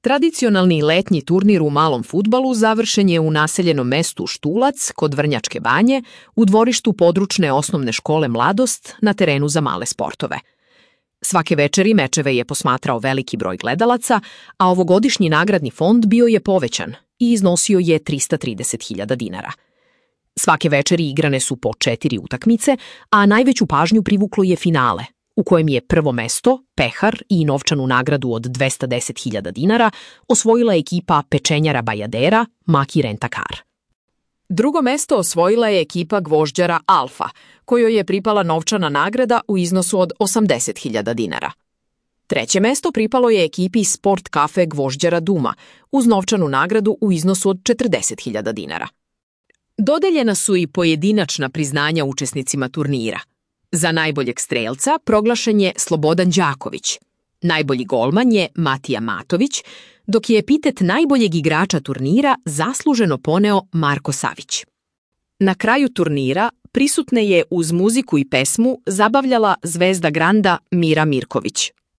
Tradicionalni letnji turnir u malom fudbalu završen je u naseljenom mestu Štulac kod Vrnjačke Banje u dvorištu područne osnovne škole Mladost na terenu za male sportove. Svake večeri mečeve je posmatrao veliki broj gledalaca, a ovogodišnji nagradni fond bio je povećan i iznosio je 330.000 dinara. Svake večeri igrane su po 4 utakmice, a najveću pažnju privuklo je finale, u kojem je prvo mesto, pehar i novčanu nagradu od 210.000 dinara osvojila ekipa pečenjara Bajadera Maki Rentakar. Drugo mesto osvojila je ekipa gvožđara Alfa, kojoj je pripala novčana nagrada u iznosu od 80.000 dinara. Treće mesto pripalo je ekipi Sport kafe gvožđara Duma uz novčanu nagradu u iznosu od 40.000 dinara. Dodeljena su i pojedinačna priznanja učesnicima turnira. Za najboljeg strelca proglašen je Slobodan Đaković, najbolji golman je Matija Matović, dok je epitet najboljeg igrača turnira zasluženo poneo Marko Savić. Na kraju turnira prisutne je uz muziku i pesmu zabavljala zvezda Granda Mira Mirković.